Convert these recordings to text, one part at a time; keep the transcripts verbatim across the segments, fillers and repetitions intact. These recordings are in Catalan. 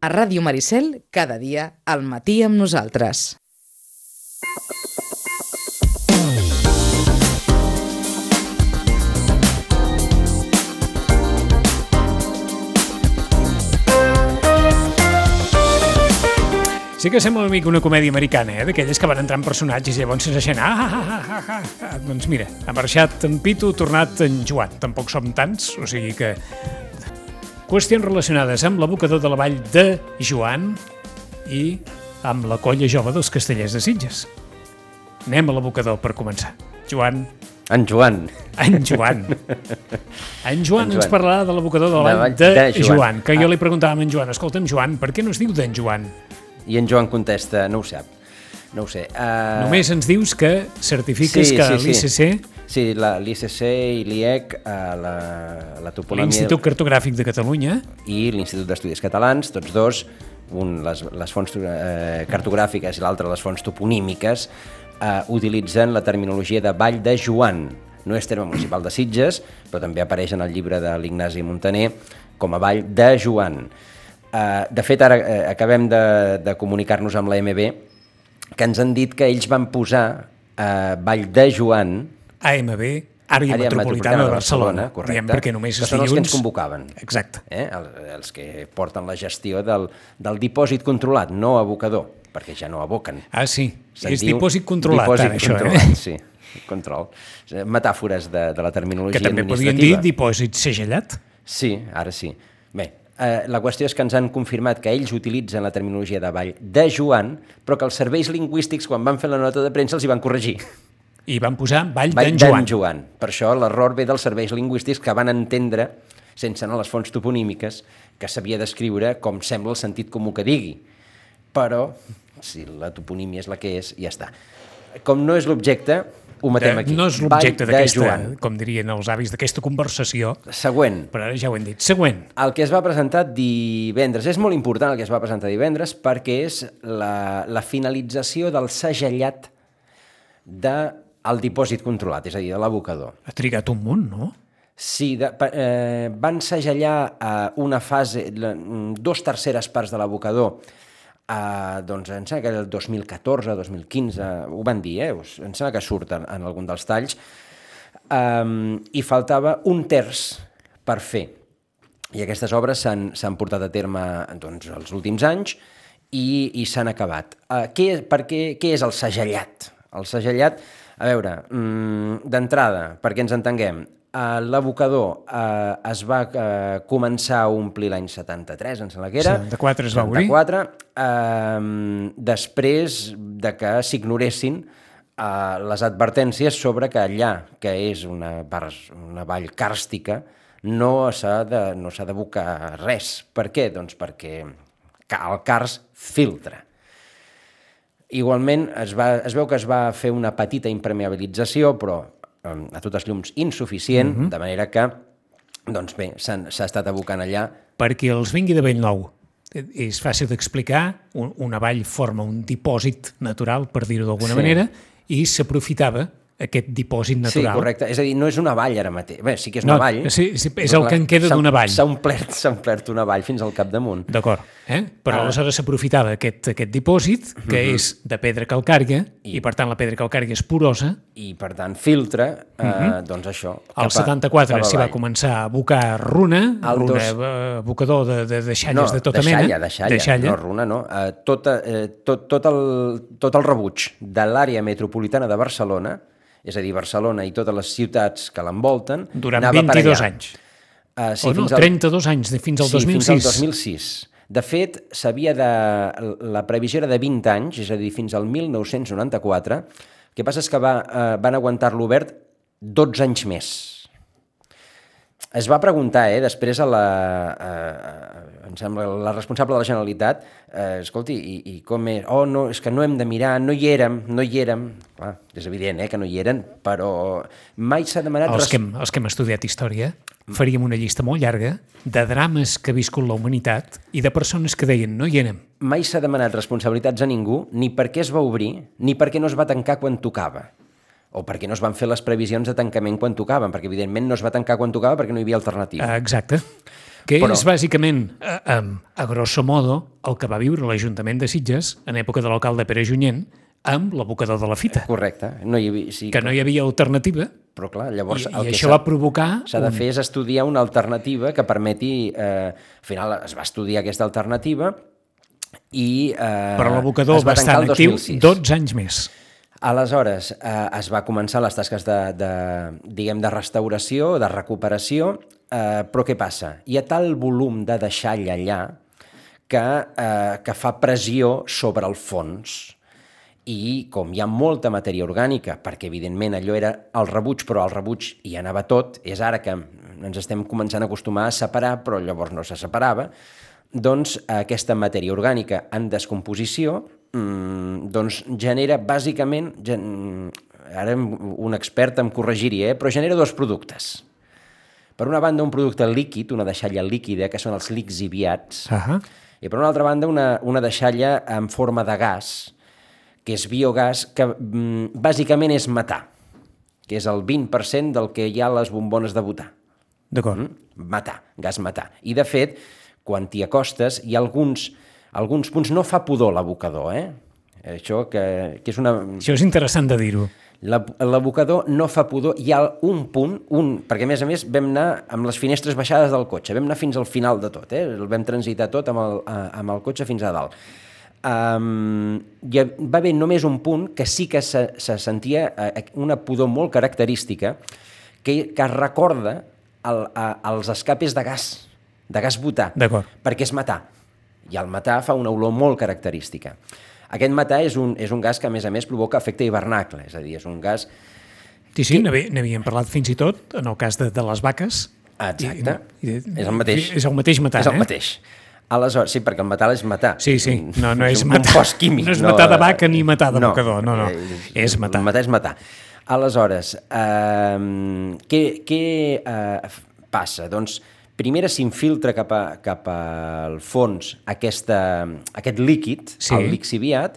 A Ràdio Maricel, cada dia, al matí amb nosaltres. Sí que sembla una mica una comèdia americana, eh? D'aquelles que van entrar en personatges i llavors se deixen... Ah, ah, ah, ah, ah, ah. Doncs mira, ha marxat en Pitu, tornat en Joan. Tampoc som tants, o sigui que... Qüestions relacionades amb l'abocador de la vall de Joan i amb la colla jove dels Castellers de Sitges. Anem a l'abocador per començar. Joan... En Joan. En Joan. En Joan ens parlarà de l'abocador de la vall de, de Joan. Joan, que jo li preguntava a en Joan, escolta'm, Joan, per què no es diu d'en Joan? I en Joan contesta, no ho sap, no ho sé. Uh... Només ens dius que certifiques sí, que sí, l'I C C... Sí, l'I C C i l'I E C, uh, la, la toponomia... L'Institut Cartogràfic de Catalunya. I l'Institut d'Estudis Catalans, tots dos, un les, les fonts uh, cartogràfiques i l'altre les fonts toponímiques, uh, utilitzen la terminologia de Vall de Joan. No és terme municipal de Sitges, però també apareix en el llibre de l'Ignasi Montaner com a Vall de Joan. Uh, de fet, ara uh, acabem de, de comunicar-nos amb la M B que ens han dit que ells van posar uh, Vall de Joan A M B, Àrea Metropolitana, Metropolitana de Barcelona, correcte, diem perquè només que són els que ens convocaven. Exacte. Eh? Els, els que porten la gestió del, del dipòsit controlat, no abocador, perquè ja no aboquen. Ah, sí, és dipòsit controlat, dipòsit ara, controlat, això, eh? Sí, control. Metàfores de, de la terminologia que també administrativa. podien dir dipòsit segellat. Sí, ara sí. Bé, eh, la qüestió és que ens han confirmat que ells utilitzen la terminologia de Vall de Joan, però que els serveis lingüístics, quan van fer la nota de premsa, els hi van corregir. I van posar Vall, Vall d'en Joan. Joan. Per això l'error ve dels serveis lingüístics que van entendre, sense anar a les fonts toponímiques, que s'havia d'escriure com sembla el sentit comú que digui. Però, si la toponímia és la que és, ja està. Com no és l'objecte, ho matem aquí. No és l'objecte d'aquesta, com dirien els avis, d'aquesta conversació. Següent. Però ara ja ho hem dit. Següent. El que es va presentar divendres. És molt important el que es va presentar divendres perquè és la, la finalització del segellat del dipòsit controlat, és a dir, de l'abocador. Ha trigat un munt, no? Sí, de, eh, van segellar eh, una fase, la, dos terceres parts de l'abocador. Uh, doncs em sembla que era el dos mil catorze, dos mil quinze, ho van dir, eh? Em sembla que surt en, en algun dels talls, um, i faltava un terç per fer. I aquestes obres s'han portat a terme doncs, els últims anys i, i s'han acabat. Uh, què, per què, què és el segellat? El segellat, a veure, um, d'entrada, perquè ens entenguem, Uh, l'abocador uh, es va uh, començar a omplir l'any setanta-tres, em sembla que era. setanta-quatre es va obrir. setanta-quatre, uh, després de que s'ignoressin uh, les advertències sobre que allà, que és una, una vall càrstica, no s'ha de, no s'ha d'abocar res. Per què? Doncs perquè el cars filtra. Igualment, es, va, es veu que es va fer una petita impermeabilització, però a totes llums insuficient, uh-huh. de manera que, doncs bé, s'ha estat abocant allà. Perquè els vingui de bell nou. És fàcil d'explicar, una vall forma un dipòsit natural, per dir-ho d'alguna sí. manera, i s'aprofitava aquest dipòsit natural. Sí, correcte. És a dir, no és una vall ara mateix. Bé, sí que és una no, vall. Sí, sí, és el que en queda d'una vall. S'ha omplert, s'ha omplert una vall fins al capdamunt. D'acord. Eh? Però ah. aleshores s'aprofitava aquest, aquest dipòsit, que uh-huh. és de pedra calcària, I, i per tant la pedra calcària és porosa. I per tant filtra, eh, uh-huh. doncs això. Al setanta-quatre s'hi va començar a abocar runa, el runa dos... abocador de, de, de xalles no, de tota de mena. Xalla, de xalla, de xalla, no runa, no. Uh, tot, uh, tot, tot, el, tot el rebuig de l'àrea metropolitana de Barcelona, és a dir, Barcelona i totes les ciutats que l'envolten, durant vint-i-dos anys. Uh, sí, o no, al... trenta-dos anys, fins al sí, dos mil sis. Fins al dos mil sis. De fet, s'havia de... la previsió era de vint anys, és a dir, fins al mil nou-cents noranta-quatre. El que passa és que va, uh, van aguantar-lo obert dotze anys més. Es va preguntar, eh, després a la, eh, em sembla, la responsable de la Generalitat, eh, escolti, i, i com és? Oh, no, és que no hem de mirar, no hi érem, no hi érem. Clar, és evident, eh, que no hi eren, però mai s'ha demanat... Els que, hem, els que hem estudiat història faríem una llista molt llarga de drames que ha viscut la humanitat i de persones que deien no hi érem. Mai s'ha demanat responsabilitats a ningú, ni per què es va obrir, ni per què no es va tancar quan tocava. O perquè no es van fer les previsions de tancament quan tocaven, perquè evidentment no es va tancar quan tocava perquè no hi havia alternativa. Exacte. Que Però- és bàsicament, a, a, a grosso modo, el que va viure l'Ajuntament de Sitges en època de l'alcalde Pere Junyent amb l'abocador de la fita, Correcte. No hi havia, sí, que no hi havia alternativa Però clar, llavors i, el i que això s'ha- va provocar... s'ha de un- fer és estudiar una alternativa que permeti... Eh, al final es va estudiar aquesta alternativa i eh, Però l'abocador es va va estar tancar el en actiu dos mil sis. dotze anys més. Aleshores, eh, es va començar les tasques de, de, diguem, de restauració, de recuperació, eh, però què passa? Hi ha tal volum de deixall allà que, eh, que fa pressió sobre el fons i com hi ha molta matèria orgànica, perquè evidentment allò era el rebuig, però el rebuig hi anava tot, és ara que ens estem començant a acostumar a separar, però llavors no se separava, doncs aquesta matèria orgànica en descomposició mmm, doncs genera bàsicament, gen... ara un expert em corregiria, eh? però genera dos productes. Per una banda un producte líquid, una deixalla líquida, que són els lixiviats, Ah, i per una altra banda una, una deixalla en forma de gas, que és biogàs, que mm, bàsicament és metà, que és el vint per cent del que hi ha a les bombones de butà. d'acord. Mm? Metà, gas metà. I de fet, quan t'hi acostes, hi ha alguns, alguns punts, no fa pudor l'abocador, eh? Això que, que és una... Això és interessant de dir-ho. La- L'abocador no fa pudor, hi ha un punt, un, perquè a més a més vam anar amb les finestres baixades del cotxe, vam anar fins al final de tot, eh? El vam transitar tot amb el, a- amb el cotxe fins a dalt. Um, hi ha- va haver només un punt que sí que se, se sentia eh, una pudor molt característica que, que recorda el, a, els escapes de gas, de gas butà, D'acord. perquè és metà, i el metà fa una olor molt característica. Aquest metà és un, és un gas que a més a més provoca efecte hivernacle, és a dir, és un gas... Sí, sí, n'haví- n'havíem parlat fins i tot en el cas de, de les vaques. Exacte, I, i, és el mateix. És el mateix metà, és el eh? mateix. Aleshores, sí, perquè el metà és metà. Sí, sí, no, no és un metà. compost químic. No és metà de vaca ni metà de mocador, no, no, eh, és metà. El metà és metà. Aleshores, eh, què, què eh, passa? Doncs, primera s'infiltra cap, a, cap al fons aquesta, aquest líquid, Sí. el lixiviat,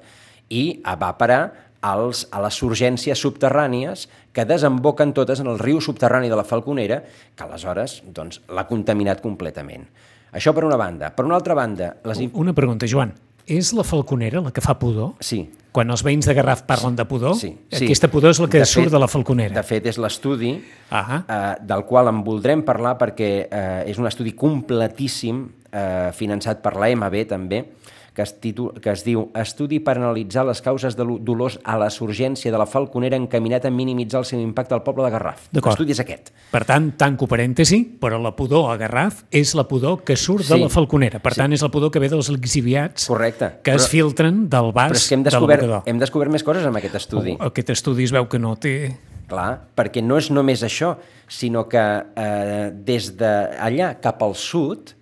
i va parar als, a les surgències subterrànies que desemboquen totes en el riu subterrani de la Falconera, que aleshores doncs, l'ha contaminat completament. Això per una banda. Per una altra banda... Les... Una pregunta, Joan. És la falconera la que fa pudor? Sí. Quan els veïns de Garraf parlen de pudor, Sí, sí. aquesta pudor és la que De surt fet- de la falconera. De fet, és l'estudi Ah, eh, del qual en voldrem parlar perquè eh, és un estudi completíssim, eh, finançat per l'A M B també, que es, titu... que es diu Estudi per analitzar les causes de dolors a la surgència de la Falconera encaminat a minimitzar el seu impacte al poble de Garraf. D'acord. L'estudi és aquest. Per tant, tanco parèntesi, però la pudor a Garraf és la pudor que surt Sí. de la falconera. Per tant, és la pudor que ve dels lixiviats Correcte. que es Però- filtren del vas Però és que hem de descobert, l'abocador. hem descobert més coses amb aquest estudi. Oh, aquest estudi es veu que no té... Clar, perquè no és només això, sinó que eh, des d'allà cap al sud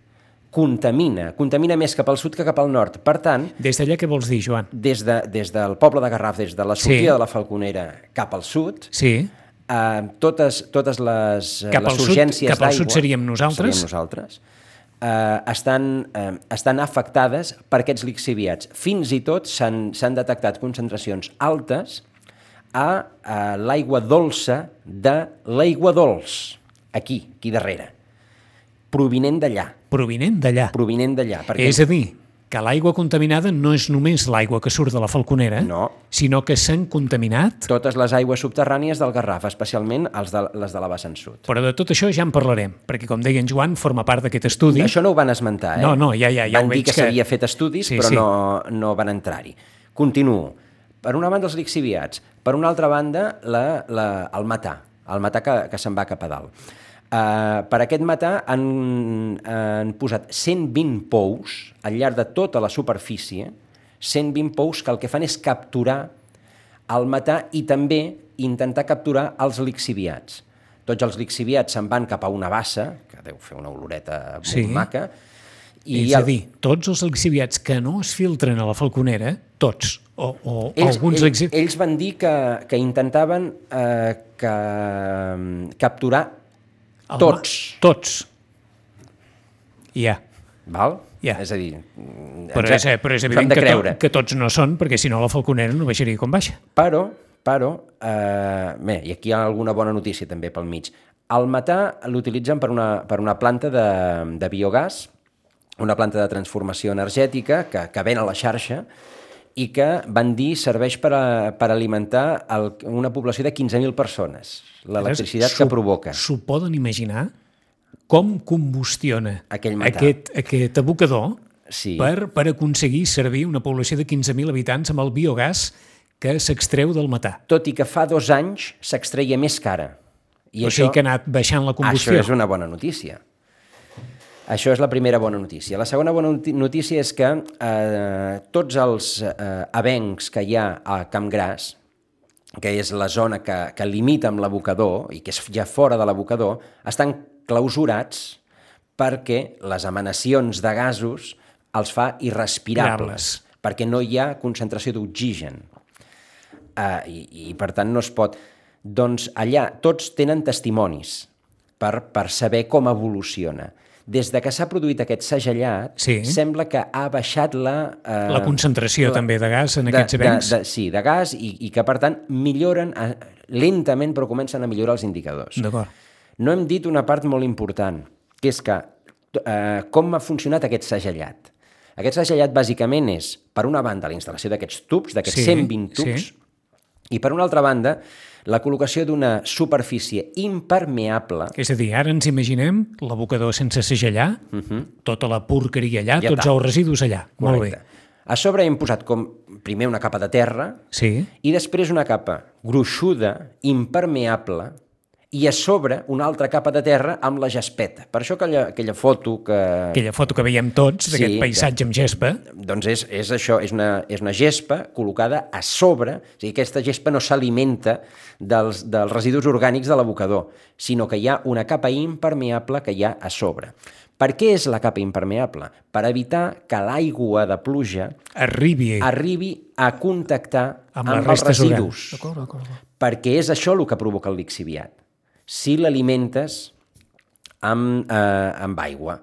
contamina, contamina més cap al sud que cap al nord. Per tant, Des d'allà què vols dir, Joan? des, de, des del poble de Garraf, des de la sortida Sí. de la Falconera cap al sud, Sí, eh, totes, totes les, eh, Cap les al sud- surgències cap al sud d'aigua- seríem nosaltres. seríem nosaltres eh, estan, eh, estan afectades per aquests lixiviats. Fins i tot s'han s'han detectat concentracions altes a, a l'aigua dolça de l'aigua dolç, aquí, aquí darrere, provinent d'allà, provinent d'allà. provinent d'allà. Perquè És a dir, que l'aigua contaminada no és només l'aigua que surt de la falconera, No. sinó que s'han contaminat, totes les aigües subterrànies del Garraf, especialment els de, les de la vessant sud. però de tot això ja en parlarem, perquè, com deia en Joan, forma part d'aquest estudi. Això no ho van esmentar, eh? No, no, ja, ja, ja Van ho dir veig que que- s'havia fet estudis, Sí, però sí. No, no van entrar-hi. Continuo. Per una banda, els lixiviats. Per una altra banda, la, la, el metà. El metà que, que se'n va cap a dalt. Uh, per aquest metà han, han posat cent vint pous al llarg de tota la superfície, cent vint pous que el que fan és capturar el metà i també intentar capturar els lixiviats. Tots els lixiviats se'n van cap a una bassa, que deu fer una oloreta molt Sí. maca, I és a dir, tots els lixiviats que no es filtren a la falconera, tots, o, o ells, alguns ells, lixiviats... ells van dir que, que intentaven eh, que, mm, capturar tots. Tots. Ja. Val? Ja. És a dir, Però ens- és, però és ens ho hem evident de que, creure. to, que tots no són, perquè si no la falconera no baixaria com baixa. Però, però eh, bé, i aquí hi ha alguna bona notícia també pel mig. El metà l'utilitzen per una, per una planta de, de biogàs, una planta de transformació energètica que, que ven a la xarxa i que, van dir, serveix per, a, per alimentar el, una població de quinze mil persones. L'electricitat que provoca. S'ho poden imaginar com combustiona Aquell metà. aquest, aquest abocador Sí. per, per aconseguir servir una població de quinze mil habitants amb el biogàs que s'extreu del metà. Tot i que fa dos anys s'extreia més cara. I o això, sigui que ha anat baixant la combustió. Això és una bona notícia. Això és la primera bona notícia. La segona bona notícia és que eh, tots els eh, avencs que hi ha a Campgràs, que és la zona que, que limita amb l'abocador i que és ja fora de l'abocador, estan clausurats perquè les emanacions de gasos els fa irrespirables, Grables. perquè no hi ha concentració d'oxigen. Uh, i, I, per tant, no es pot... Doncs allà tots tenen testimonis per, per saber com evoluciona. Des de que s'ha produït aquest segellat, Sí. sembla que ha baixat la... Uh, La concentració també de gas en aquests avencs. De, de, sí, de gas, i, i que, per tant, milloren, uh, lentament, però comencen a millorar els indicadors. D'acord. No hem dit una part molt important, que és que uh, com ha funcionat aquest segellat. Aquest segellat, bàsicament, és, per una banda, la instal·lació d'aquests tubs, d'aquests Sí, cent vint tubs, sí. i, per una altra banda, la col·locació d'una superfície impermeable. És a dir, ara ens imaginem l'abocador sense segellar, uh -huh. tota la porqueria allà, Ja tots està. els residus allà. Molt bé. A sobre hem posat com primer una capa de terra Sí. i després una capa gruixuda, impermeable, i a sobre una altra capa de terra amb la gespeta. Per això aquella, aquella foto que... Aquella foto que veiem tots, Sí, d'aquest paisatge amb gespa. Doncs és, és això, és una, és una gespa col·locada a sobre, o sigui, aquesta gespa no s'alimenta dels, dels residus orgànics de l'abocador, sinó que hi ha una capa impermeable que hi ha a sobre. Per què és la capa impermeable? Per evitar que l'aigua de pluja Arribi arribi a contactar amb, amb, les els restes residus, orgàniques. D'acord, d'acord. perquè és això el que provoca el lixiviat. Si l'alimentes amb, eh, amb aigua,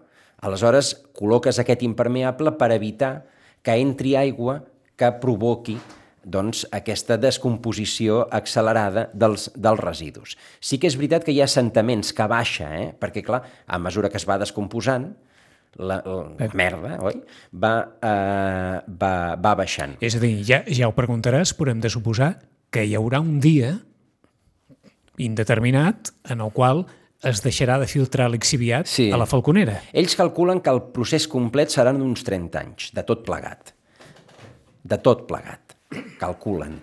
aleshores col·loques aquest impermeable per evitar que entri aigua que provoqui doncs, aquesta descomposició accelerada dels, dels residus. Sí que és veritat que hi ha assentaments que baixa, eh? perquè, clar, a mesura que es va descomposant, la, la merda, oi? Va, eh, va, va baixant. És a dir, ja, ja ho preguntaràs, però hem de suposar que hi haurà un dia indeterminat en el qual es deixarà de filtrar lixiviat Sí. a la Falconera. Ells calculen que el procés complet seran uns trenta anys, de tot plegat. De tot plegat, calculen.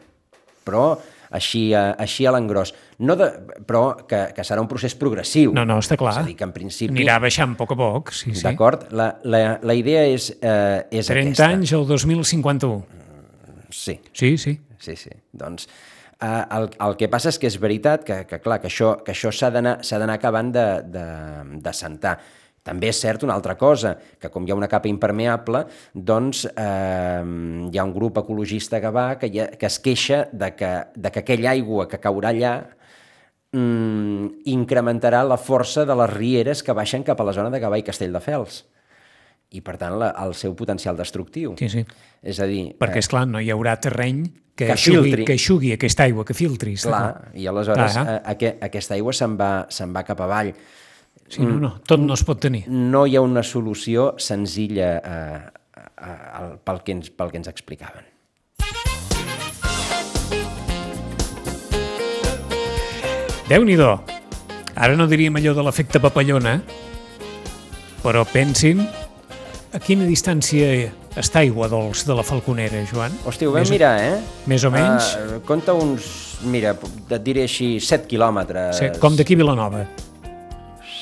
Però així, a, així a l'engròs. No de, però que, que serà un procés progressiu. No, no, està clar. És a dir, que en principi... Anirà baixant a poc a poc, sí, sí. D'acord? La, la, la idea és, eh, és trenta aquesta. anys al dos mil cinquanta-u. Sí, Sí, sí. sí, sí. Doncs eh, el, el que passa és que és veritat que, que clar, que això, que això s'ha d'anar s'ha d'anar acabant de, de, de sentar. També és cert una altra cosa, que com hi ha una capa impermeable, doncs eh, hi ha un grup ecologista que va, que, ha, que es queixa de que, de que aquella aigua que caurà allà mm, incrementarà la força de les rieres que baixen cap a la zona de Gavà i Castelldefels. I, per tant, la, el seu potencial destructiu. Sí, sí. És a dir... Perquè, és clar, no hi haurà terreny que, Que eixugui, filtri. que eixugui aquesta aigua, que filtri. està Clar, i aleshores Ah, eh, aqu aquesta aigua se'n va, se'n va cap avall. Sí, no, no, tot no es pot tenir. No hi ha una solució senzilla eh, eh, pel, que ens, pel que ens explicaven. Déu-n'hi-do. Ara no diríem allò de l'efecte papallona, però pensin a quina distància està Aigua Dols de la Falconera, Joan? Hòstia, ho vam Més- mirar, eh? Més o menys? Uh, compta uns, mira, et diré així, set quilòmetres. Sí, com d'aquí a Vilanova.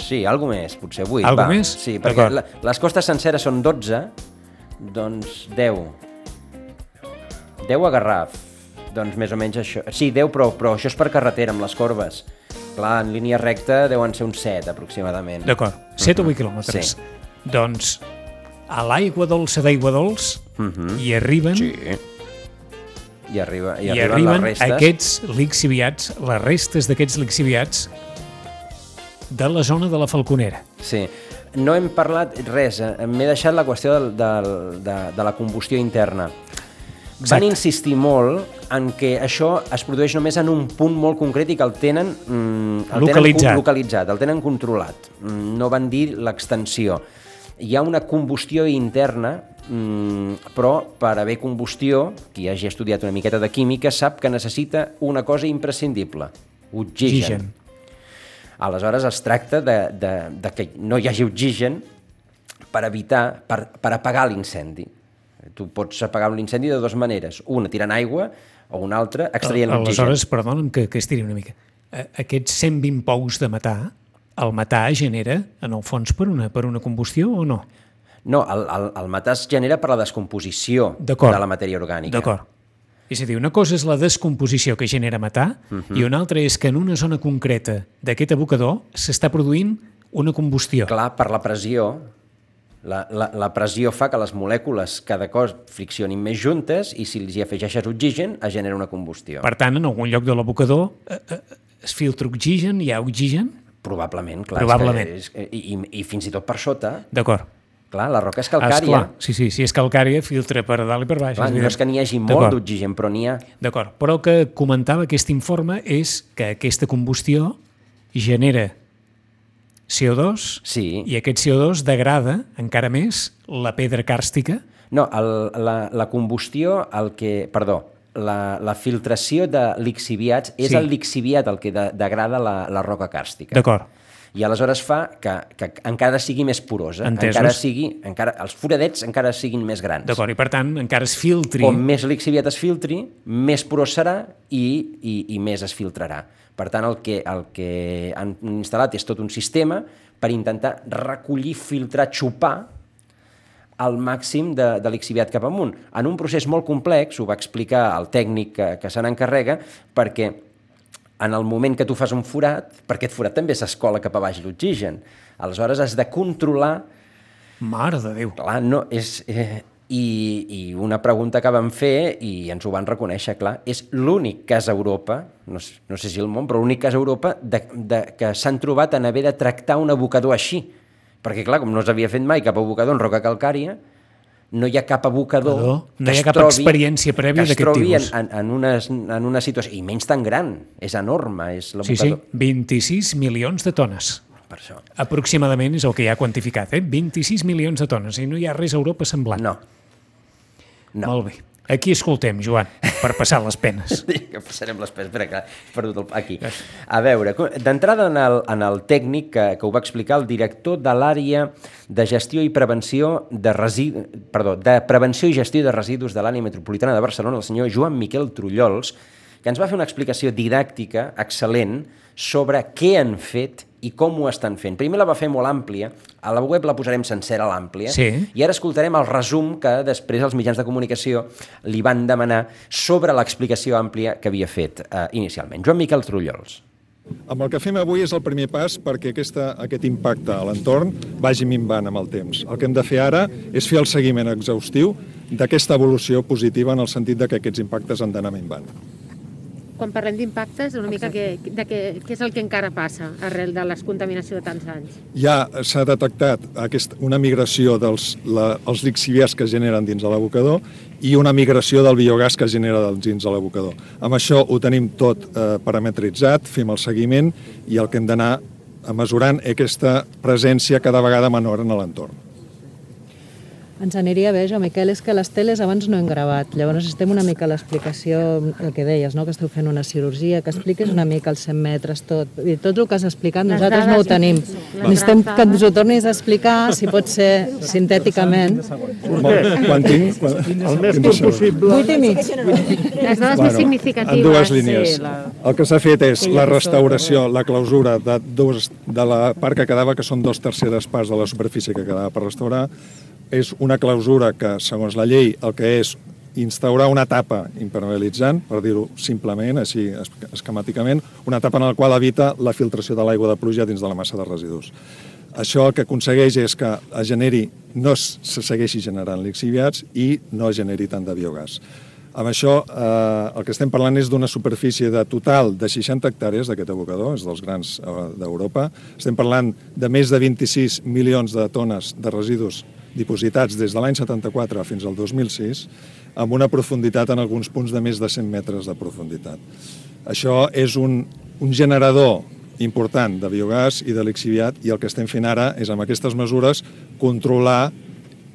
Sí, alguna més, potser vuit. Algo va. més? Sí, perquè D'acord. la, les costes senceres són dotze, doncs deu. deu a Garraf, doncs més o menys això. Sí, deu, però, però això és per carretera, amb les corbes. Clar, en línia recta deuen ser uns set, aproximadament. D'acord, set o vuit quilòmetres. Sí. Doncs a l'aigua dolça d'Aigua Dols Mhm. hi arriben, Sí. I, arriba, i, i arriben, arriben les restes. aquests lixiviats, les restes d'aquests lixiviats de la zona de la Falconera. Sí. No hem parlat res, eh, m'he deixat la qüestió del, del, de, de la combustió interna. van insistir molt en que això es produeix només en un punt molt concret i que el tenen, mm, el localitzat. tenen localitzat, el tenen controlat. No van dir l'extensió. Hi ha una combustió interna, mm, però per haver combustió, qui hagi estudiat una miqueta de química sap que necessita una cosa imprescindible, oxigen. Oxigen. Aleshores es tracta de, de, de que no hi hagi oxigen per evitar, per, per apagar l'incendi. Tu pots apagar un incendi de dues maneres, una tirant aigua o una altra extraient l'oxigen. Aleshores, perdona'm que, que estiri una mica, aquests cent vint pous de metà, el metà es genera, en el fons, per una, per una combustió o no? No, el, el, el metà es genera per la descomposició de la matèria orgànica. D'acord. És a dir, una cosa és la descomposició que genera metà uh-huh. i una altra és que en una zona concreta d'aquest abocador s'està produint una combustió. Clar, per la pressió. La, la, la pressió fa que les molècules cada cos friccionin més juntes i si els hi afegeixes oxigen es genera una combustió. Per tant, en algun lloc de l'abocador eh, eh, es filtra oxigen, hi ha oxigen? Probablement, clar. Probablement. És que, és, i, i, I fins i tot per sota. D'acord. Clar, la roca és calcària. Esclar, sí, sí, si és calcària, filtra per dalt i per baix. Clar, no és que n'hi hagi molt d'oxigen, però n'hi ha. D'acord, però el que comentava aquest informe és que aquesta combustió genera C O dos sí. i aquest C O dos degrada encara més la pedra càrstica. No, el, la, la combustió, el que, perdó, la, la filtració de lixiviats és sí. el lixiviat el que de, degrada la, la roca càrstica. D'acord. I aleshores fa que, que encara sigui més porosa, Entesos. encara sigui, encara, els foradets encara siguin més grans. D'acord, i per tant encara es filtri... Com més lixiviat es filtri, més porós serà i, i, i més es filtrarà. Per tant, el que, el que han instal·lat és tot un sistema per intentar recollir, filtrar, xupar el màxim de, de lixiviat cap amunt. En un procés molt complex, ho va explicar el tècnic que, que se n'encarrega, perquè en el moment que tu fas un forat, per aquest forat també s'escola cap a baix l'oxigen. Aleshores has de controlar... Mare de Déu! Clar, no, és... Eh, i, I una pregunta que vam fer, i ens ho van reconèixer, clar, és l'únic cas a Europa, no, no sé si el món, però l'únic cas a Europa de, de, que s'han trobat en haver de tractar un abocador així. Perquè, clar, com no s'havia fet mai cap abocador en roca calcària, no hi ha cap abocador no, no que hi ha es cap trobi, experiència prèvia que es d'aquest trobi en, tipus. en, en, una, en una situació, i menys tan gran, és enorme, és Sí, sí, l'abocador. vint-i-sis milions de tones. Per això. Aproximadament és el que hi ha quantificat, eh? vint-i-sis milions de tones, i no hi ha res a Europa semblant. No. No. Molt bé. Aquí escoltem, Joan, per passar les penes. Que passarem les penes. Espera, que he perdut el... Aquí. A veure, d'entrada en, el, en el tècnic que, que ho va explicar el director de l'àrea de gestió i prevenció de residus, perdó, de prevenció i gestió de residus de l'àrea metropolitana de Barcelona, el senyor Joan Miquel Trullols, que ens va fer una explicació didàctica excel·lent sobre què han fet i com ho estan fent. Primer la va fer molt àmplia, a la web la posarem sencera l'àmplia, sí. i ara escoltarem el resum que després els mitjans de comunicació li van demanar sobre l'explicació àmplia que havia fet eh, inicialment. Joan Miquel Trullols. Amb el que fem avui és el primer pas perquè aquesta, aquest impacte a l'entorn vagi minvant amb el temps. El que hem de fer ara és fer el seguiment exhaustiu d'aquesta evolució positiva en el sentit de que aquests impactes han d'anar minvant. Quan parlem d'impactes, una mica què, de què, què és el que encara passa arrel de la contaminació de tants anys? Ja s'ha detectat aquest, una migració dels la, els lixiviats que es generen dins de l'abocador i una migració del biogàs que es genera dins de l'abocador. Amb això ho tenim tot eh, parametritzat, fem el seguiment i el que hem d'anar mesurant és aquesta presència cada vegada menor en l'entorn. Ens aniria bé, jo, Miquel, és que les teles abans no hem gravat. Llavors estem una mica a l'explicació, el que deies, no? Que esteu fent una cirurgia, que expliquis una mica els cent metres, tot. I tot el que has explicat, nosaltres no ho tenim. Necessitem que ens ho tornis a explicar, si pot ser sintèticament. Quan tinc... Quan... El més curt possible. Vuit i mig. Les dades més significatives. En dues línies. El que s'ha fet és la restauració, la clausura de, dos, de la part que quedava, que són dos terceres parts de la superfície que quedava per restaurar. És una clausura que, segons la llei, el que és instaurar una tapa impermeabilitzant, per dir-ho simplement, així esquemàticament, una tapa en la qual evita la filtració de l'aigua de pluja dins de la massa de residus. Això el que aconsegueix és que es generi, no se segueixi generant lixiviats i no es generi tant de biogàs. Amb això, eh, el que estem parlant és d'una superfície de total de seixanta hectàrees d'aquest abocador, és dels grans eh, d'Europa. Estem parlant de més de vint-i-sis milions de tones de residus dipositats des de l'any setanta-quatre fins al dos mil sis, amb una profunditat en alguns punts de més de cent metres de profunditat. Això és un, un generador important de biogàs i de lixiviat, i el que estem fent ara és, amb aquestes mesures, controlar,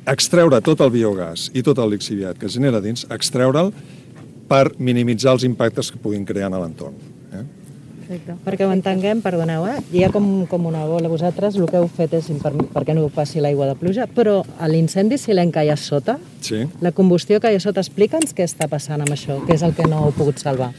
extreure tot el biogàs i tot el lixiviat que es genera dins, extreure'l per minimitzar els impactes que puguin crear en l'entorn. Eh? Perfecte. Perquè ho entenguem, perdoneu, eh? Hi ha com, com una bola. Vosaltres el que heu fet és per, perquè no passi l'aigua de pluja, però a l'incendi silent que hi ha sota, sí. La combustió que hi ha sota, explica'ns què està passant amb això, què és el que no heu pogut salvar.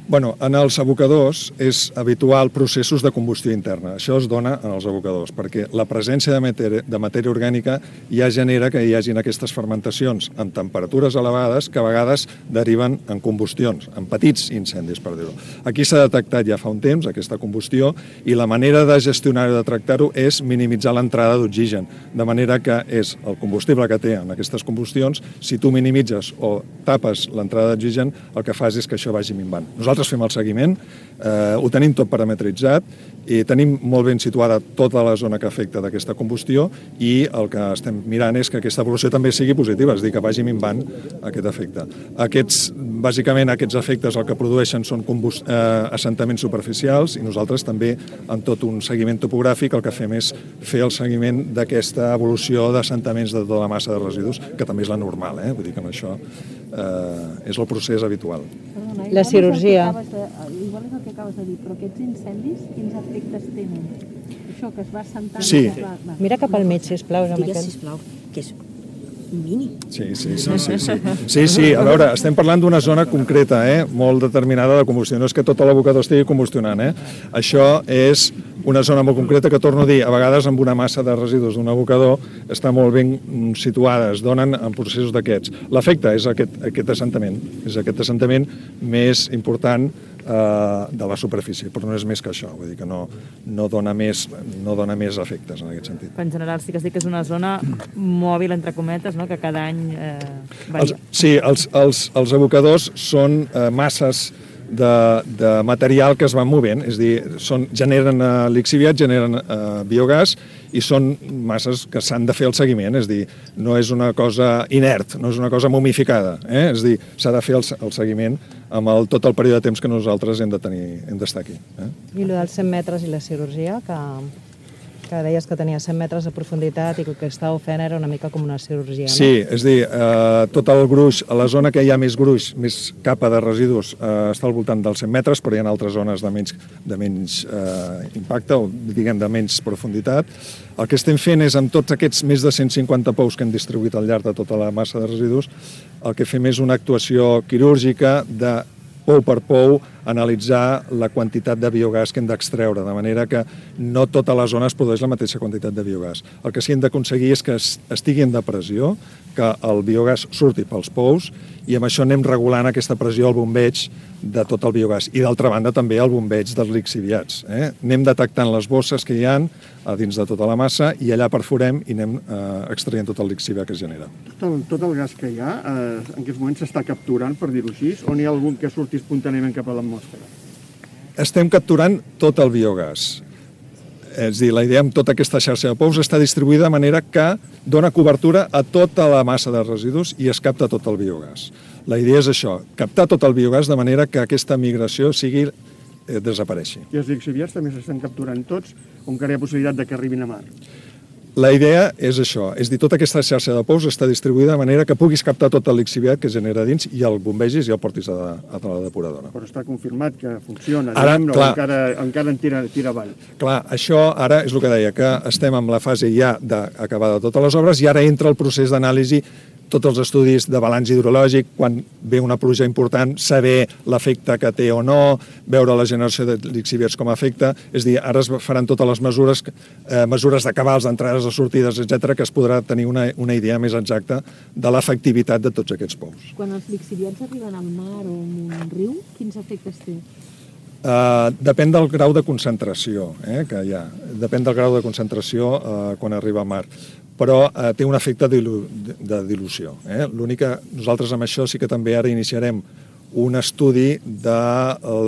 Bueno, en els abocadors és habitual processos de combustió interna. Això es dona en els abocadors, perquè la presència de matèria, de matèria orgànica ja genera que hi hagin aquestes fermentacions amb temperatures elevades que a vegades deriven en combustions, en petits incendis, per dir-ho. Aquí s'ha detectat ja fa un temps aquesta combustió i la manera de gestionar-ho, de tractar-ho, és minimitzar l'entrada d'oxigen, de manera que és el combustible que té en aquestes combustions, si tu minimitzes o tapes l'entrada d'oxigen, el que fas és que això vagi minvant. Nosaltres Nosaltres fem el seguiment, eh, ho tenim tot parametritzat i tenim molt ben situada tota la zona que afecta d'aquesta combustió i el que estem mirant és que aquesta evolució també sigui positiva, és a dir, que vagi minvant aquest efecte. Aquests, bàsicament, aquests efectes el que produeixen són combust... eh, assentaments superficials i nosaltres també, en tot un seguiment topogràfic, el que fem és fer el seguiment d'aquesta evolució d'assentaments de tota la massa de residus, que també és la normal, eh? Vull dir que amb això eh, és el procés habitual. Perdona, la cirurgia. De, igual és el que acabes de dir, però aquests incendis, quins efectes tenen? Això que es va assentant... Sí. Va, va. Mira cap al mig, sisplau, Joan Miquel. Digues, sisplau, que és mini. Sí, sí, sí, sí, sí. Sí, sí, a veure, estem parlant d'una zona concreta, eh? Molt determinada de combustió. No és que tot l'abocador estigui combustionant, eh? Això és una zona molt concreta que, torno a dir, a vegades amb una massa de residus d'un abocador està molt ben situada, es donen en processos d'aquests. L'efecte és aquest, aquest assentament, és aquest assentament més important eh, de la superfície, però no és més que això, vull dir que no, no, dona més, no dona més efectes en aquest sentit. En general sí que es diu que és una zona mòbil, entre cometes, no? Que cada any eh, varia. Els, sí, els, els, els abocadors són eh, masses de, de material que es van movent, és a dir, són, generen eh, lixiviat, generen eh, biogàs i són masses que s'han de fer el seguiment, és a dir, no és una cosa inert, no és una cosa momificada, eh? És a dir, s'ha de fer el, el seguiment amb el, tot el període de temps que nosaltres hem de tenir, hem d'estar aquí. Eh? I el dels cent metres i la cirurgia, que, que deies que tenia cent metres de profunditat i que el que estàveu fent era una mica com una cirurgia, no? Sí, és a dir, eh, tot el gruix, a la zona que hi ha més gruix, més capa de residus, eh, està al voltant dels cent metres, però hi ha altres zones de menys, de menys eh, impacte, o diguem de menys profunditat. El que estem fent és, amb tots aquests més de cent cinquanta pous que hem distribuït al llarg de tota la massa de residus, el que fem és una actuació quirúrgica de pou per pou, analitzar la quantitat de biogàs que hem d'extreure, de manera que no tota la zona es produeix la mateixa quantitat de biogàs. El que sí hem d'aconseguir és que estigui en depressió, que el biogàs surti pels pous, i amb això anem regulant aquesta pressió al bombeig de tot el biogàs. I d'altra banda també el bombeig dels lixiviats. Eh? Anem detectant les bosses que hi ha a dins de tota la massa i allà perforem i anem eh, extraient tot el lixiviat que es genera. Tot el, tot el gas que hi ha, eh, en aquests moments s'està capturant, per dir-ho així, o n'hi ha algun que surti espontàniament cap a l'atmosfera? Estem capturant tot el biogàs. És a dir, la idea amb tota aquesta xarxa de pous està distribuïda de manera que dona cobertura a tota la massa de residus i es capta tot el biogàs. La idea és això, captar tot el biogàs de manera que aquesta migració sigui eh, desapareixi. I els lixiviats també s'estan capturant tots, o encara hi ha possibilitat de que arribin a mar? La idea és això, és dir, tota aquesta xarxa de pous està distribuïda de manera que puguis captar tot el lixiviat que es genera dins i el bombegis i el portis a, a la depuradora. Però està confirmat que funciona, ara, diguem, clar, o encara, encara en tira, tira avall. Clar, això ara és el que deia, que estem en la fase ja d'acabar de totes les obres i ara entra el procés d'anàlisi, tots els estudis de balanç hidrològic, quan ve una pluja important, saber l'efecte que té o no, veure la generació de lixiviats com a efecte, és a dir, ara es faran totes les mesures, eh, mesures de cabals, d'entrades, de sortides, etcètera, que es podrà tenir una, una idea més exacta de l'efectivitat de tots aquests pous. Quan els lixiviats arriben al mar o en un riu, quins efectes té? Uh, depèn del grau de concentració eh, que hi ha. Depèn del grau de concentració uh, quan arriba al mar. Però uh, té un efecte dilu de dilució. Eh? L'únic que nosaltres amb això sí que també ara iniciarem un estudi de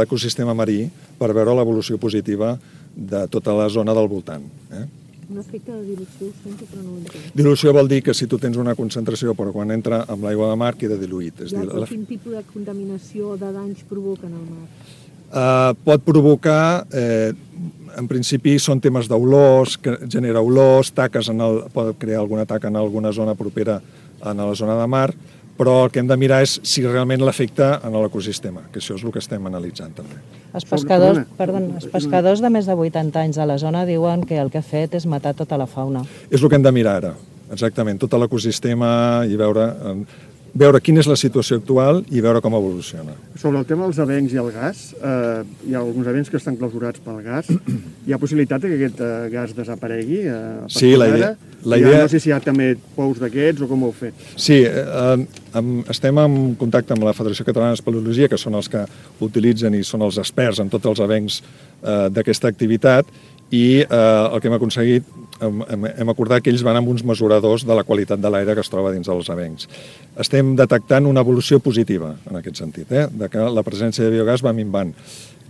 l'ecosistema marí per veure l'evolució positiva de tota la zona del voltant. Eh? Un efecte de dilució, ho sento, però no ho entenc. Dilució vol dir que si tu tens una concentració, però quan entra amb l'aigua de mar queda diluït. És Ja, dir, però la... quin tipus de contaminació o de danys provoquen al mar? Uh, pot provocar, eh, en principi són temes d'olors, que genera olors, taques en el, pot crear alguna taca en alguna zona propera a la zona de mar, però el que hem de mirar és si realment l'afecta en l'ecosistema, que això és el que estem analitzant també. Els pescadors, perdó, els pescadors de més de vuitanta anys a la zona diuen que el que ha fet és matar tota la fauna. És el que hem de mirar ara, exactament, tot l'ecosistema i veure, veure quina és la situació actual i veure com evoluciona. Sobre el tema dels avencs i el gas, eh, hi ha alguns avencs que estan clausurats pel gas. Hi ha possibilitat que aquest eh, gas desaparegui? Eh, sí, la idea... La ja idea... no sé si hi ha també pous d'aquests o com ho heu fet. Sí, eh, amb, estem en contacte amb la Federació Catalana d'Espeleologia, que són els que utilitzen i són els experts en tots els avencs eh, d'aquesta activitat, i eh, el que hem aconseguit, hem, hem acordat que ells van amb uns mesuradors de la qualitat de l'aire que es troba dins dels avencs. Estem detectant una evolució positiva en aquest sentit, eh, de que la presència de biogàs va minvant.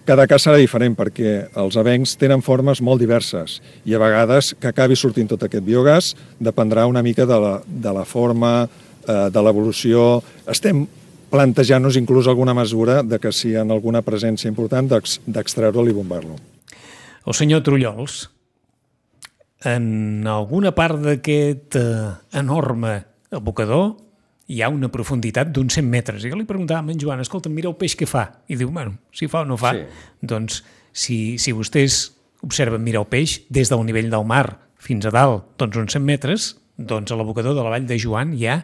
Cada cas serà diferent perquè els avencs tenen formes molt diverses i a vegades que acabi sortint tot aquest biogàs dependrà una mica de la, de la forma, eh, de l'evolució. Estem plantejant-nos inclús alguna mesura de que si hi ha alguna presència important d'extreure-lo i bombar-lo. El senyor Trullols, en alguna part d'aquest eh, enorme abocador hi ha una profunditat d'uns cent metres. I jo li preguntava a en Joan, escolta, mira el peix que fa. I diu, bueno, si fa o no fa. Sí. Doncs si, si vostès observen mirar el peix des del nivell del mar fins a dalt, doncs uns cent metres, doncs a l'abocador de la Vall de Joan hi ha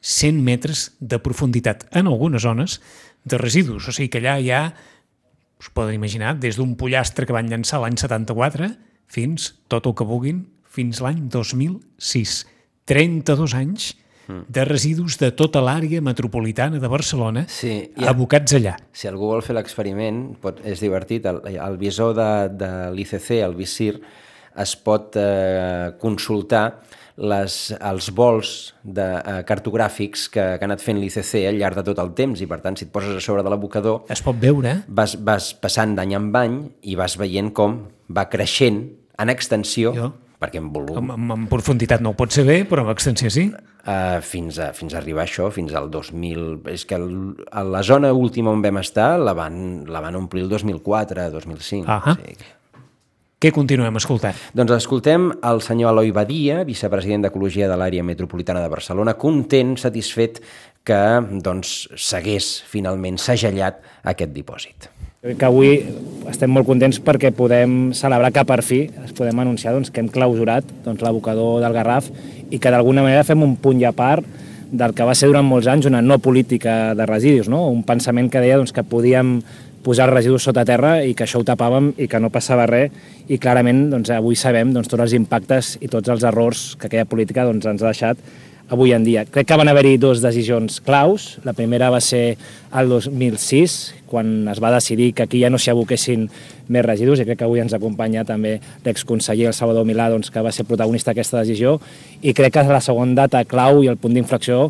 cent metres de profunditat en algunes zones de residus. O sigui que allà hi ha, us poden imaginar, des d'un pollastre que van llançar l'any setanta-quatre fins tot el que vulguin, fins l'any dos mil sis. trenta-dos anys de residus de tota l'àrea metropolitana de Barcelona, sí, ha, abocats allà. Si algú vol fer l'experiment, pot, és divertit, el, el visor de, de l'I C C, el Visir, es pot eh, consultar les, els vols de, eh, cartogràfics que, que ha anat fent l'I C C al llarg de tot el temps, i per tant, si et poses a sobre de l'abocador... Es pot veure. Vas, vas passant d'any en any i vas veient com va creixent en extensió, jo. perquè en volum... En, en, en profunditat no ho pot saber, però en extensió sí. Uh, fins, a, fins a arribar a això, fins al dos mil... És que el, a la zona última on vam estar la van, la van omplir el dos mil quatre, dos mil cinc. Uh-huh. O sigui. Què continuem escoltant? Doncs escoltem el senyor Eloi Badia, vicepresident d'Ecologia de l'àrea metropolitana de Barcelona, content, satisfet que doncs, s'hagués finalment segellat aquest dipòsit. Que avui estem molt contents perquè podem celebrar que per fi es podem anunciar doncs, que hem clausurat doncs, l'abocador del Garraf i que d'alguna manera fem un punt i a part del que va ser durant molts anys una no política de residus, no? Un pensament que deia doncs, que podíem posar els residus sota terra i que això ho tapàvem i que no passava res, i clarament doncs, avui sabem doncs, tots els impactes i tots els errors que aquella política doncs, ens ha deixat avui en dia. Crec que van haver-hi dues decisions claus. La primera va ser el dos mil sis, quan es va decidir que aquí ja no s'hi aboquessin més residus, i crec que avui ens acompanya també l'exconseller, el Salvador Milà, doncs, que va ser protagonista d'aquesta decisió, i crec que la segona data clau i el punt d'inflexió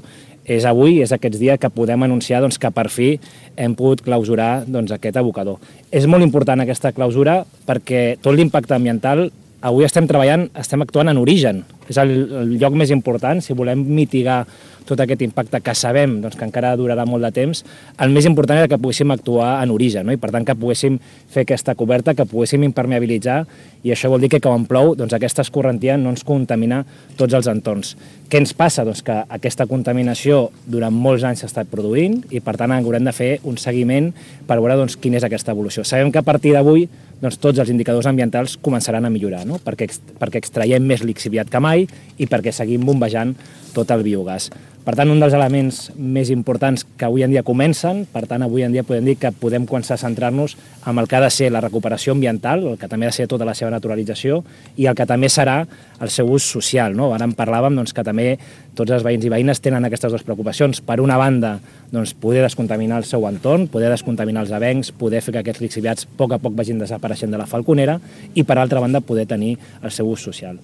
és avui, és aquests dies que podem anunciar doncs, que per fi hem pogut clausurar doncs, aquest abocador. És molt important aquesta clausura perquè tot l'impacte ambiental avui estem treballant, estem actuant en origen. És el, el lloc més important, si volem mitigar tot aquest impacte que sabem doncs, que encara durarà molt de temps, el més important era que poguéssim actuar en origen, no? I per tant que poguéssim fer aquesta coberta, que poguéssim impermeabilitzar, i això vol dir que quan plou doncs, aquesta escorrentia no ens contamina tots els entorns. Què ens passa? Doncs que aquesta contaminació durant molts anys s'ha estat produint i per tant haurem de fer un seguiment per veure doncs, quina és aquesta evolució. Sabem que a partir d'avui doncs, tots els indicadors ambientals començaran a millorar, no? perquè, perquè extraiem més lixiviat que mai i perquè seguim bombejant tot el biogàs. Per tant, un dels elements més importants que avui en dia comencen, per tant, avui en dia podem dir que podem començar a centrar-nos en el que ha de ser la recuperació ambiental, el que també ha de ser tota la seva naturalització, i el que també serà el seu ús social. No? Ara en parlàvem doncs, que també tots els veïns i veïnes tenen aquestes dues preocupacions. Per una banda, doncs, poder descontaminar el seu entorn, poder descontaminar els avencs, poder fer que aquests lixiviats a poc a poc vagin desapareixent de la falconera, i per altra banda, poder tenir el seu ús social.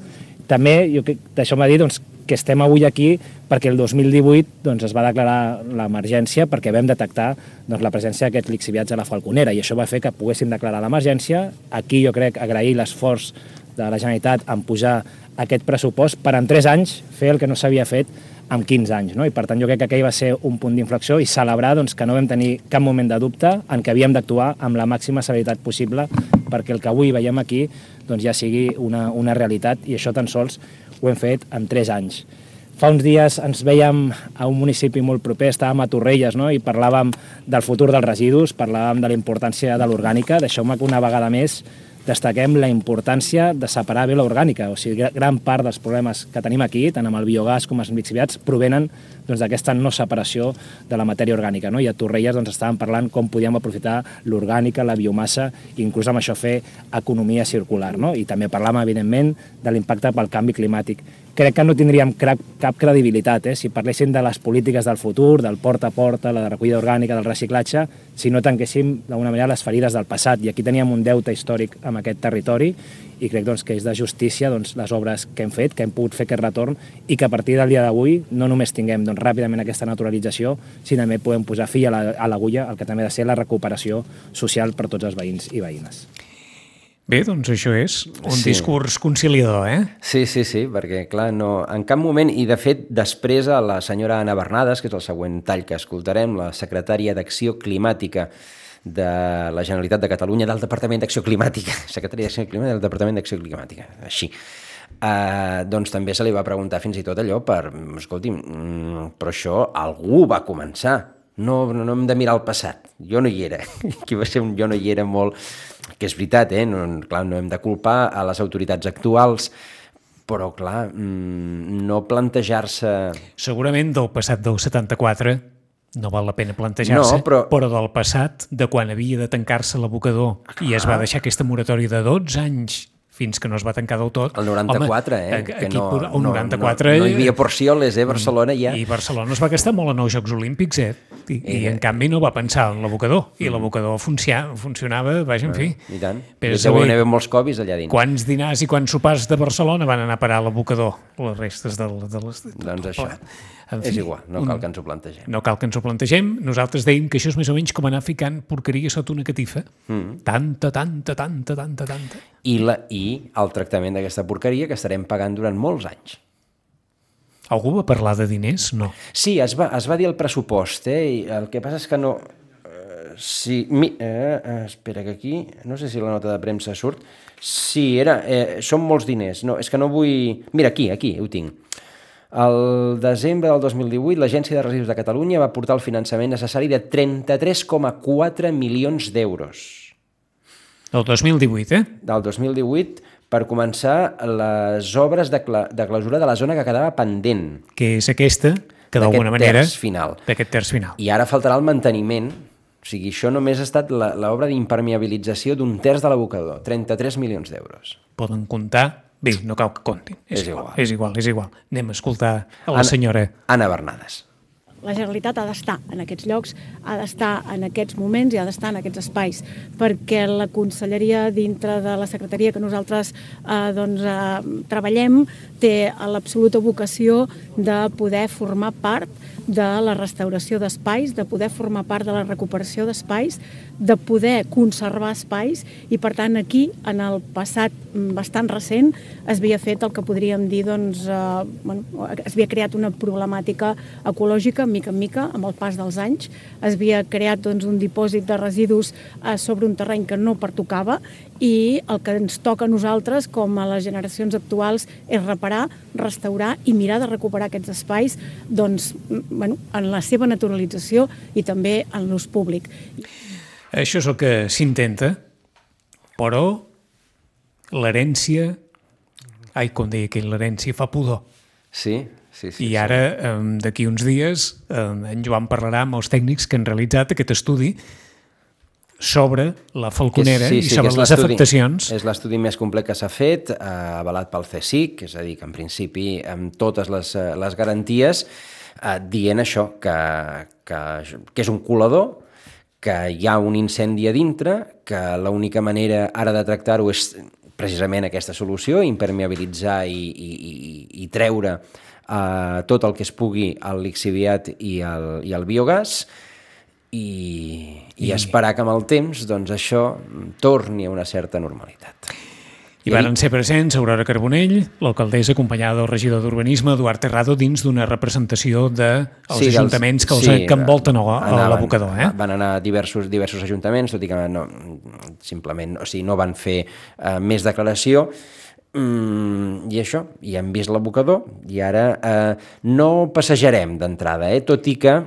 També, jo, deixeu-me dir doncs, que estem avui aquí perquè el dos mil divuit doncs, es va declarar l'emergència perquè vam detectar doncs, la presència d'aquests lixiviats a la falconera, i això va fer que poguéssim declarar l'emergència. Aquí jo crec agrair l'esforç de la Generalitat en pujar aquest pressupost per en tres anys fer el que no s'havia fet en quinze anys. No? I per tant jo crec que aquell va ser un punt d'inflexió i celebrar doncs, que no vam tenir cap moment de dubte en què havíem d'actuar amb la màxima severitat possible perquè el que avui veiem aquí doncs, ja sigui una, una realitat i això tan sols ho hem fet en tres anys. Fa uns dies ens veiem a un municipi molt proper, estàvem a Torrelles, no? I parlàvem del futur dels residus, parlàvem de la importància de l'orgànica. Deixeu-me que una vegada més destaquem la importància de separar bé l'orgànica. O sigui, gran part dels problemes que tenim aquí, tant amb el biogàs com els lixiviats, provenen doncs, d'aquesta no separació de la matèria orgànica. No? I a Torrelles doncs, estàvem parlant com podíem aprofitar l'orgànica, la biomassa, i inclús amb això fer economia circular. No? I també parlàvem, evidentment, de l'impacte pel canvi climàtic. Crec que no tindríem cap, cap credibilitat eh? si parléssim de les polítiques del futur, del porta a porta, la recollida orgànica, del reciclatge, si no tanquéssim d'alguna manera les ferides del passat. I aquí teníem un deute històric amb aquest territori i crec doncs, que és de justícia doncs, les obres que hem fet, que hem pogut fer aquest retorn i que a partir del dia d'avui no només tinguem doncs, ràpidament aquesta naturalització, sinó també podem posar fi a l'agulla al que també ha de ser la recuperació social per tots els veïns i veïnes. Bé, doncs això és un Sí. discurs conciliador, eh? Sí, sí, sí, perquè clar, no, en cap moment, i de fet després a la senyora Anna Bernades, que és el següent tall que escoltarem, la secretària d'Acció Climàtica de la Generalitat de Catalunya, del Departament d'Acció Climàtica, secretària d'Acció Climàtica del Departament d'Acció Climàtica, així. Uh, doncs també se li va preguntar fins i tot allò per, escolti, mm, però això algú va començar, no, no hem de mirar el passat, jo no hi era, aquí va ser un jo no hi era molt, que és veritat, eh? no, clar, no hem de culpar a les autoritats actuals, però clar, mm, no plantejar-se... Segurament del passat del setanta-quatre no val la pena plantejar-se, No, però- però del passat, de quan havia de tancar-se l'abocador i es va deixar aquesta moratòria de dotze anys fins que no es va tancar del tot. El noranta-quatre, home, eh? Que aquí, no, el no, noranta-quatre... no, no hi havia porcioles, eh? Barcelona ja... I Barcelona es va gastar molt en els Jocs Olímpics, eh? I, i en canvi no va pensar en l'abocador. I l'abocador funcia, funcionava, vaja, en fi. I tant. Però I deuen haver molts Covis allà dins. Quants dinars i quants sopars de Barcelona van anar a parar a l'abocador? Les restes del, de les... Doncs això. En És fi, igual, no cal que ens ho plantegem. No cal que ens ho plantegem. Nosaltres dèiem que això és més o menys com anar ficant porqueria sota una catifa. Mm. Tanta, tanta, tanta, tanta, tanta. I, la, I el tractament d'aquesta porqueria que estarem pagant durant molts anys. Algú va parlar de diners? No. Sí, es va, es va dir el pressupost, eh? I el que passa és que no... Eh, sí, mi, eh, eh, espera que aquí... No sé si la nota de premsa surt. Sí, era... Eh, són molts diners. No, és que no vull... Mira, aquí, aquí, ho tinc. El desembre del dos mil divuit, l'Agència de Residus de Catalunya va portar el finançament necessari de trenta-tres coma quatre milions d'euros. Del dos mil divuit, eh? Del dos mil divuit, per començar les obres de, cla de clausura de la zona que quedava pendent. Que és aquesta, que d'alguna manera... D'aquest terç final. D'aquest terç final. I ara faltarà el manteniment. O sigui, això només ha estat l'obra d'impermeabilització d'un terç de l'abocador. trenta-tres milions d'euros. Poden comptar... Bé, no cal que comptin. És, És igual, igual. és igual, és igual. Anem a escoltar a la senyora... Anna Bernades. La Generalitat ha d'estar en aquests llocs, ha d'estar en aquests moments i ha d'estar en aquests espais, perquè la conselleria dintre de la secretaria que nosaltres eh, doncs, eh, treballem té l'absoluta vocació de poder formar part de la restauració d'espais, de poder formar part de la recuperació d'espais, de poder conservar espais i, per tant, aquí, en el passat bastant recent, es havia fet el que podríem dir, doncs, eh, bueno, es havia creat una problemàtica ecològica, mica en mica, amb el pas dels anys. Es havia creat doncs, un dipòsit de residus eh, sobre un terreny que no pertocava i el que ens toca a nosaltres, com a les generacions actuals, és reparar, restaurar i mirar de recuperar aquests espais doncs, bueno, en la seva naturalització i també en l'ús públic. Això és el que s'intenta, però l'herència... Ai, com deia aquell, l'herència fa pudor. Sí, sí, sí. I ara, eh, d'aquí uns dies, eh, en Joan parlarà amb els tècnics que han realitzat aquest estudi sobre la falconera sí, sí, i sobre les afectacions. És l'estudi més complet que s'ha fet, eh, avalat pel C S I C, és a dir, que en principi amb totes les, les garanties, eh, dient això, que, que, que és un colador, que hi ha un incendi a dintre, que l'única manera ara de tractar-ho és precisament aquesta solució, impermeabilitzar i, i, i, i treure eh, tot el que es pugui al lixiviat i al, i al biogàs, i, i esperar que amb el temps doncs, això torni a una certa normalitat. I van ser presents Aurora Carbonell, l'alcaldessa, acompanyada del regidor d'Urbanisme, Eduard Terrado, dins d'una representació dels sí, ajuntaments que els sí, que envolten l'abocador. Eh? Van anar diversos, diversos ajuntaments, tot i que no, simplement o sigui, no van fer uh, més declaració. Mm, I això, i hem vist l'abocador, i ara eh, no passejarem d'entrada, eh? Tot i que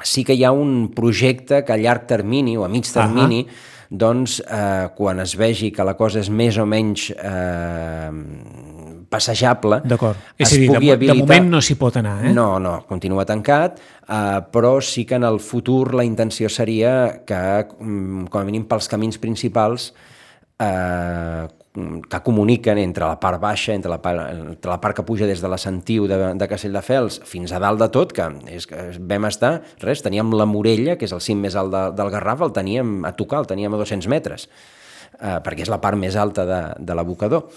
sí que hi ha un projecte que a llarg termini o a mig termini uh -huh. doncs eh, quan es vegi que la cosa és més o menys eh, passejable, és a dir, de, habilitar... de moment no s'hi pot anar, eh? No, no, continua tancat, eh, però sí que en el futur la intenció seria que, com a mínim pels camins principals, eh, que comuniquen entre la part baixa, entre la part, entre la part que puja des de la Sentiu de, de Castelldefels fins a dalt de tot, que és que vam estar, res, teníem la Morella, que és el cim més alt de, del Garraf, el teníem a tocar, el teníem a dos-cents metres, eh, perquè és la part més alta de, de l'abocador.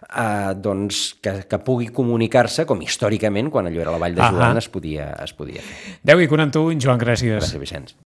Eh, doncs que, que pugui comunicar-se com històricament, quan allò era la Vall de Joan, es podia, es podia fer. deu i quaranta-u, Joan, gràcies. Gràcies, Vicenç.